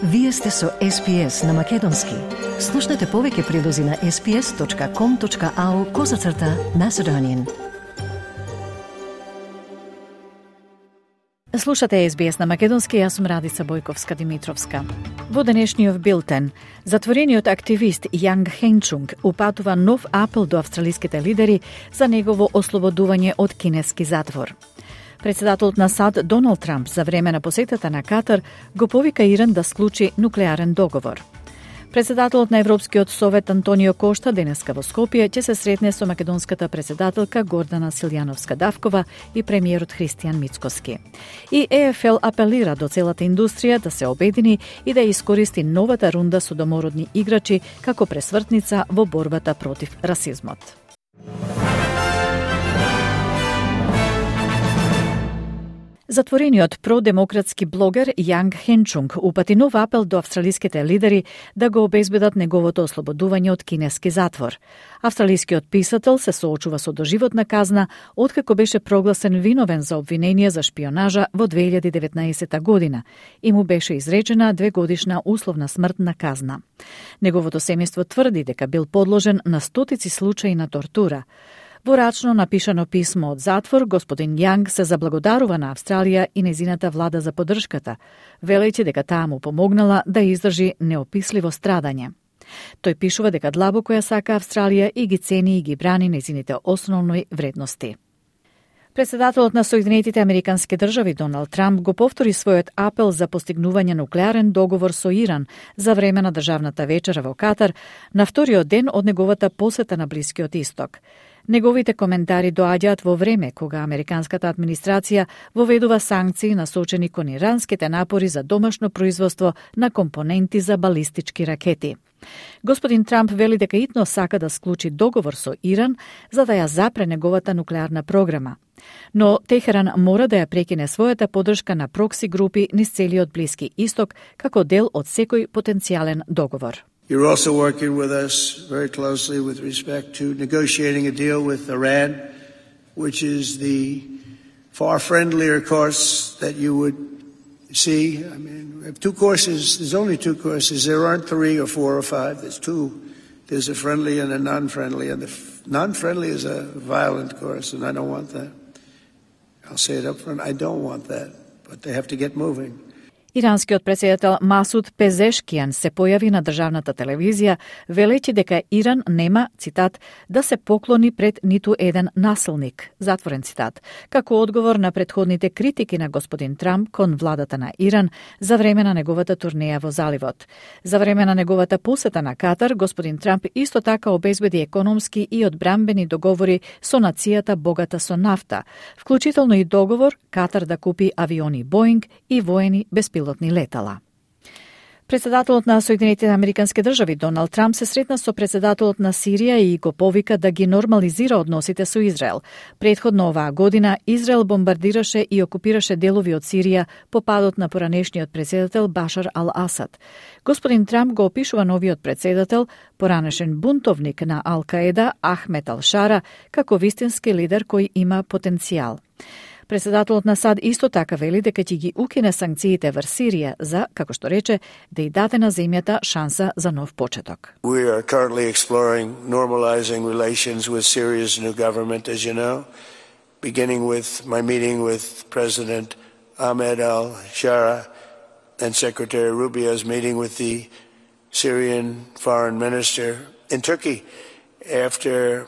Вие сте со SPS на Македонски. Слушнете повеќе прилози на sps.com.au/Macedonian. Слушате SBS на Македонски, јас сум Радица Бојковска-Димитровска. Во денешниот билтен, затворениот активист Јанг Хенчунг упатува нов апел до австралиските лидери за негово ослободување од кинески затвор. Председателот на САД Доналд Трамп за време на посетата на Катар го повика Иран да склучи нуклеарен договор. Председателот на Европскиот совет Антонио Кошта денеска во Скопје ќе се сретне со македонската председателка Гордана Силјановска-Давкова и премиерот Христијан Мицкоски. И ЕФЛ апелира до целата индустрија да се обедини и да искористи новата рунда со домородни играчи како пресвртница во борбата против расизмот. Затворениот продемократски блогер Јанг Хенчунг упати нов апел до австралиските лидери да го обезбедат неговото ослободување од кинески затвор. Австралискиот писател се соочува со доживотна казна откако беше прогласен виновен за обвинение за шпионажа во 2019 година и му беше изречена 2-годишна условна смртна казна. Неговото семејство тврди дека бил подложен на стотици случаи на тортура. Во рачно напишано писмо од затвор, господин Јанг се заблагодарува на Австралија и незината влада за поддршката, велејќи дека таа му помогнала да издржи неописливо страдање. Тој пишува дека длабоко ја сака Австралија и ги цени и ги брани незините основни вредности. Председателот на Соединетите Американски држави Доналд Трамп го повтори својот апел за постигнување нуклеарен договор со Иран за време на државната вечера во Катар на вториот ден од неговата посета на Блискиот Исток. Неговите коментари доаѓаат во време кога американската администрација воведува санкции насочени кон иранските напори за домашно производство на компоненти за балистички ракети. Господин Трамп вели дека итно сака да склучи договор со Иран за да ја запре неговата нуклеарна програма. Но Техеран мора да ја прекине својата поддршка на прокси групи низ целиот Блиски Исток како дел од секој потенцијален договор. You're also working with us very closely with respect to negotiating a deal with Iran, which is the far friendlier course that you would see. I mean, we have two courses. There's only two courses. There aren't 3 or 4 or 5. There's 2. There's a friendly and a non-friendly. And the non-friendly is a violent course, and I don't want that. I'll say it up front. I don't want that. But they have to get moving. Иранскиот председател Масуд Пезешкијан се појави на државната телевизија, велејќи дека Иран нема, цитат, да се поклони пред ниту еден насилник, затворен цитат, како одговор на претходните критики на господин Трамп кон владата на Иран за време на неговата турнеја во заливот. За време на неговата посета на Катар, господин Трамп исто така обезбеди економски и одбранбени договори со нацијата богата со нафта, вклучително и договор Катар да купи авиони Боинг и воени беспилотни летала. Председателот на Соединетите Американски држави Доналд Трамп се сретна со председателот на Сирија и го повика да ги нормализира односите со Израел. Претходно оваа година Израел бомбардираше и окупираше делови од Сирија по падот на поранешниот председател Башар ал-Асад. Господин Трамп го опишува новиот председател, поранешен бунтовник на Ал-Каеда Ахмед ал-Шара, како вистински лидер кој има потенцијал. Председателот на САД исто така вели дека ќе ги укине санкциите врз Сирија за, како што рече, да и даде на земјата шанса за нов почеток. We are currently exploring normalizing relations with Syria's new government, as you know, beginning with my meeting with President Ahmed al-Shara and Secretary Rubio's meeting with the Syrian foreign minister in Turkey after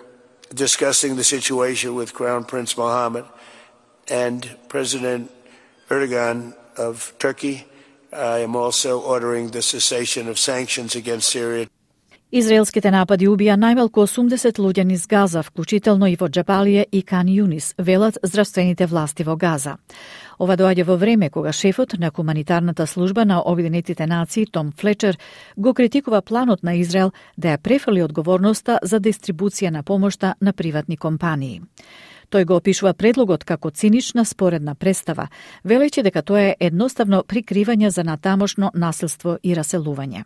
discussing the situation with Crown Prince Mohammed and President Erdogan of Turkey. I am also ordering the cessation of sanctions against Syria. Израелските напади убија најмалку 80 луѓе низ Газа, вклучително и во Џабалија и Кан Јунис, велат здравствените власти во Газа. Ова доаѓа во време кога шефот на хуманитарната служба на Обединетите нации Том Флечер го критикува планот на Израел да ја префрли одговорноста за дистрибуција на помошта на приватни компании. Тој го опишува предлогот како цинична споредна представа, велејќи дека тоа е едноставно прикривање за натамошно насилство и раселување.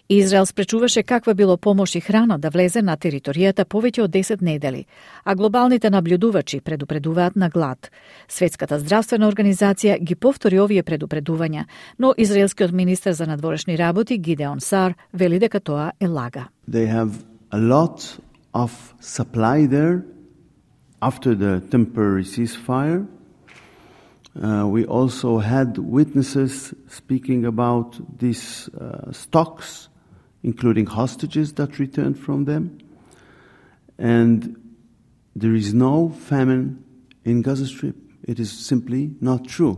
Израел спречуваше каква било помош и храна да влезе на територијата повеќе од 10 недели, а глобалните наблюдувачи предупредуваат на глад. Светската здравствена организација ги повтори овие предупредувања, но израелскиот министер за надворешни работи Гидеон Сар вели дека тоа е лага. They have a lot of supply there after the temporary ceasefire. We also had witnesses speaking about these stocks, including hostages that returned from them. And there is no famine in Gaza Strip. It is simply not true.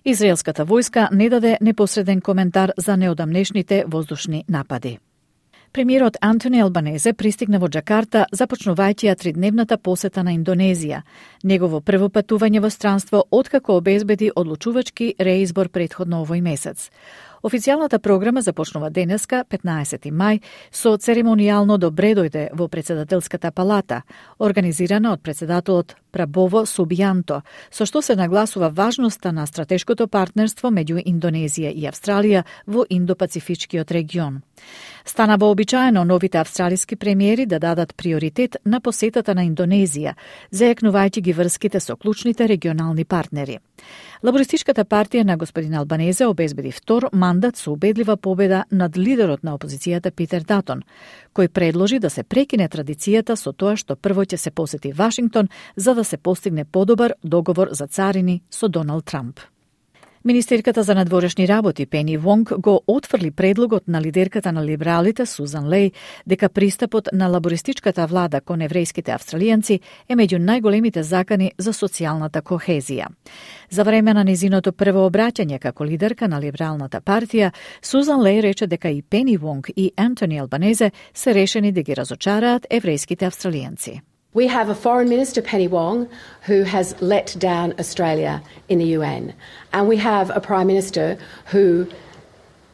Израелската војска не даде непосреден коментар за неодамнешните воздушни напади. Премиерот Антони Албанезе пристигна во Џакарта, започнувајќи ја 3-дневната посета на Индонезија, негово прво патување во странство откако обезбеди одлучувачки реизбор претходно овој месец. Официјалната програма започнува денеска, 15 мај, со церемонијално добре дојде во председателската палата, организирана од председателот Прабово Субијанто, со што се нагласува важноста на стратешкото партнерство меѓу Индонезија и Австралија во Индо-Пацифичкиот регион. Стана вообичаено новите австралиски премиери да дадат приоритет на посетата на Индонезија, зајакнувајќи ги врските со клучните регионални партнери. Лабористичката партија на господин Албанезе обезбеди втор мандат со убедлива победа над лидерот на опозицијата Питер Датон, кој предложи да се прекине традицијата со тоа што прво ќе се посети Вашингтон за да се постигне подобар договор за царини со Доналд Трамп. Министерката за надворешни работи Пени Вонг го отфрли предлогот на лидерката на либералите Сузан Леј дека пристапот на лабористичката влада кон еврејските австралијанци е меѓу најголемите закани за социјалната кохезија. За време на незиното прво обраќање како лидерка на либералната партија, Сузан Леј рече дека и Пени Вонг и Антони Албанезе се решени да ги разочараат еврејските австралијанци. We have a Foreign Minister, Penny Wong, who has let down Australia in the UN. And we have a Prime Minister who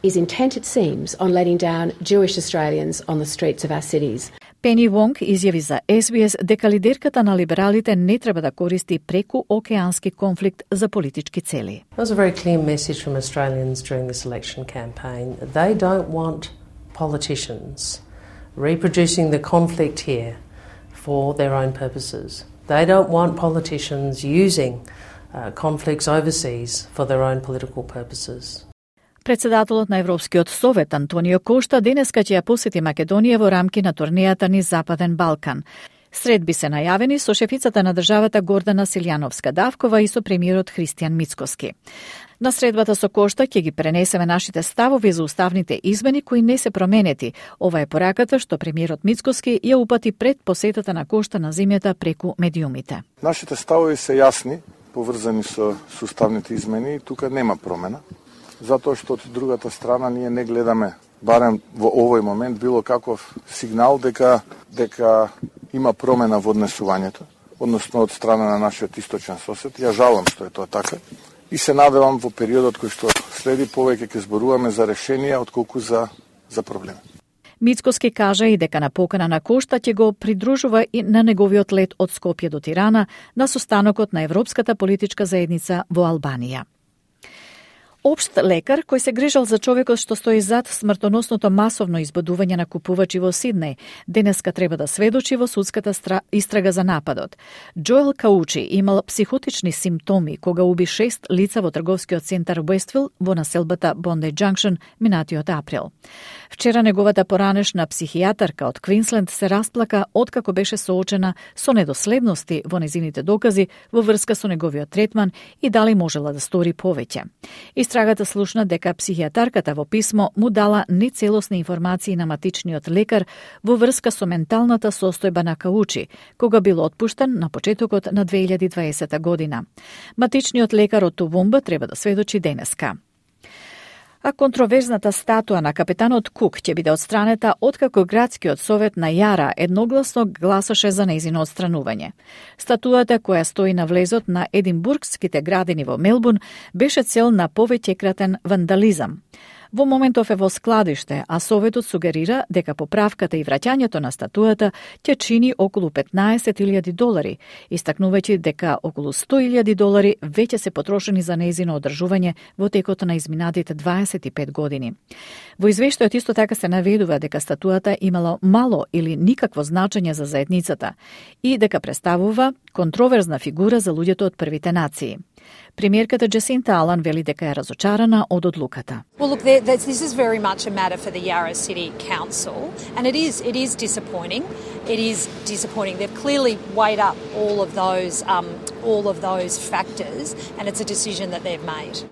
is intent, it seems, on letting down Jewish Australians on the streets of our cities. Пени Вонг изјави за SBS дека лидерката на либералите не треба да користи преку океански конфликт за политички цели. There was a very clear message from Australians during this election campaign. They don't want politicians reproducing the conflict here for their own purposes. They don't want politicians using conflicts overseas for their own political purposes. Председателот на Европскиот совет Антонио Кошта денеска ќе ја посети Македонија во рамки на турнејата низ Западен Балкан. Средби се најавени со шефицата на државата Гордана Силјановска-Давкова и со премиерот Христијан Мицкоски. На средбата со Кошта ќе ги пренесеме нашите ставови за уставните измени кои не се променети. Ова е пораката што премиерот Мицкоски ја упати пред посетата на Кошта на земјата преку медиумите. Нашите ставови се јасни, поврзани со уставните измени и тука нема промена. Затоа што од другата страна ние не гледаме, барем во овој момент, било каков сигнал дека има промена во однесувањето, односно од страна на нашиот источен сосед. Ја жалам што е тоа така и се надевам во периодот кој што следи повеќе ќе зборуваме за решенија отколку за проблеми. Мицкоски кажа и дека на покана на Кошта ќе го придружува и на неговиот лет од Скопје до Тирана на состанокот на Европската политичка заедница во Албанија. Општ лекар кој се грижал за човекот што стои зад смртоносното масовно избодување на купувачи во Сиднеј, денеска треба да сведочи во судската истрага за нападот. Джоел Каучи имал психотични симптоми кога уби 6 лица во трговскиот центар Уествил во населбата Бондај Џанкшн минатиот април. Вчера неговата поранешна психијатарка од Квинсленд се расплака откако беше соочена со недоследности во незините докази во врска со неговиот третман и дали можела да стори повеќе. Истрагата слушна дека психијатарката во писмо му дала нецелосни информации на матичниот лекар во врска со менталната состојба на Каучи, кога бил отпуштен на почетокот на 2020 година. Матичниот лекар од Тувумба треба да сведочи денеска. А контроверзната статуа на капетанот Кук ќе биде отстранета откако градскиот совет на Јара едногласно гласаше за нејзино отстранување. Статуата која стои на влезот на Единбургските градини во Мелбурн беше цел на повеќекратен вандализам. Во моментов е во складиште, а Советот сугерира дека поправката и враќањето на статујата ќе чини околу $15,000, истакнувајќи дека околу $100,000 веќе се потрошени за нејзино одржување во текот на изминатите 25 години. Во извештајот исто така се наведува дека статујата имала мало или никакво значење за заедницата и дека представува контроверзна фигура за луѓето од првите нации. Премиерката Джасинта Алан вели дека е разочарана од одлуката. Well, look, this is very much a matter for the Yarra City Council, and it is disappointing. It is disappointing. They've clearly weighed up all of those factors, and it's a decision that they've made.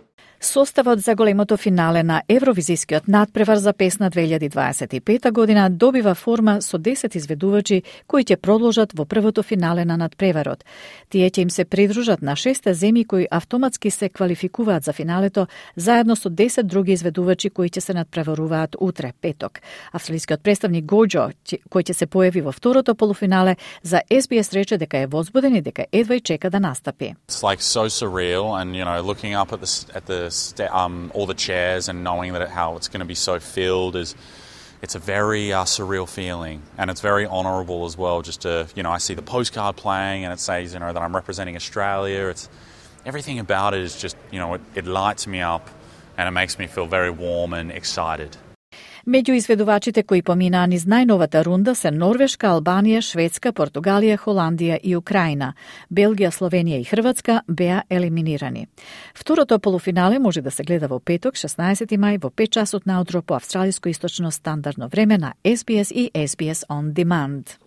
Составот за големото финале на Евровизискиот надпревар за песна 2025 година добива форма со 10 изведувачи кои ќе продолжат во првото финале на надпреварот. Тие ќе им се придружат на 6 земји кои автоматски се квалификуваат за финалето, заедно со 10 други изведувачи кои ќе се надпреваруваат утре, петок. Австралискиот представник Гоџо, кој ќе се појави во второто полуфинале, за SBS рече дека е возбуден и дека едва и чека да настапи. It's like so surreal, and looking up at the all the chairs and knowing that how it's going to be so filled it's a very surreal feeling, and it's very honourable as well. Just to I see the postcard playing and it says that I'm representing Australia. It's everything about it is just it lights me up and it makes me feel very warm and excited. Меѓу изведувачите кои поминаа низ најновата рунда се Норвешка, Албанија, Шведска, Португалија, Холандија и Украина. Белгија, Словенија и Хрватска беа елиминирани. Второто полуфинале може да се гледа во петок, 16 мај, во 5 часот наутро по австралиско источно стандардно време на SBS и SBS On Demand.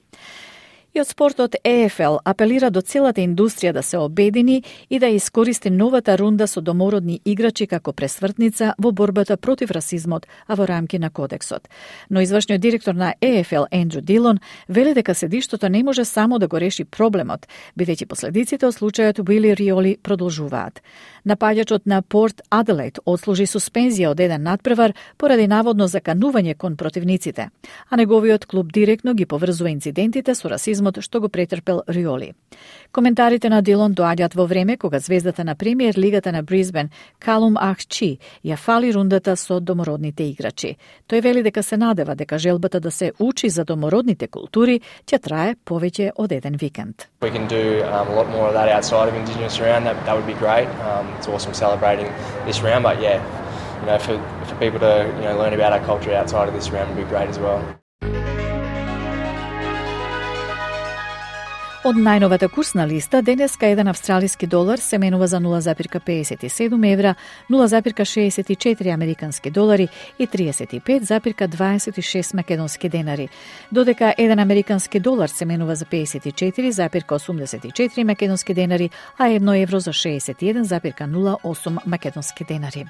И од спортот EFL апелира до целата индустрија да се обедини и да искористи новата рунда со домородни играчи како пресвртница во борбата против расизмот, а во рамки на кодексот. Но извршниот директор на EFL Ендрю Дилон вели дека седиштото не може само да го реши проблемот, бидејќи последиците од случајот Уили Риоли продолжуваат. Напаѓачот на Порт Аделаид отслужи суспензија од еден надпревар поради наводно заканување кон противниците, а неговиот клуб директно ги поврзува инцидентите со расизмот што го претрпел Риоли. Коментарите на Дилон доаѓаат во време кога звездата на премиер лигата на Брисбен Калум Ахчи ја фали рундата со домородните играчи. Тој вели дека се надева дека желбата да се учи за домородните култури ќе трае повеќе од еден викенд. We can do a lot more of that outside of Indigenous round. That would be great. It's awesome celebrating this round, but for people to learn about our culture outside of this round would be great as well. Од најновата курсна листа, денеска еден австралиски долар се менува за 0,57 евра, 0,64 американски долари и 35,26 македонски денари, додека еден американски долар се менува за 54,84 македонски денари, а 1 евро за 61,08 македонски денари.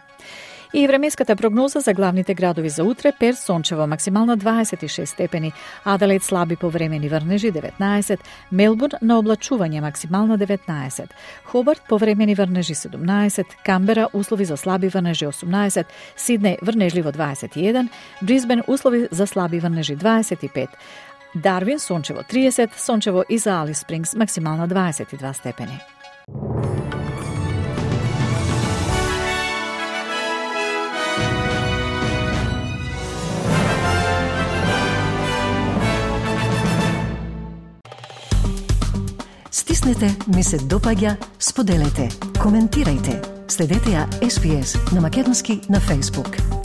И временската прогноза за главните градови за утре: Перт сончево, максимална 26 степени, Аделаид слаби повремени врнежи 19, Мелбурн на облачување максимална 19, Хобарт повремени врнежи 17, Камбера услови за слаби врнежи 18, Сиднеј врнежливо 21, Брисбен услови за слаби врнежи 25, Дарвин сончево 30, сончево и за Алис Спрингс максимална 22 степени. Стиснете, ми се допаѓа, споделете, коментирајте. Следете ја SBS на Македонски на Facebook.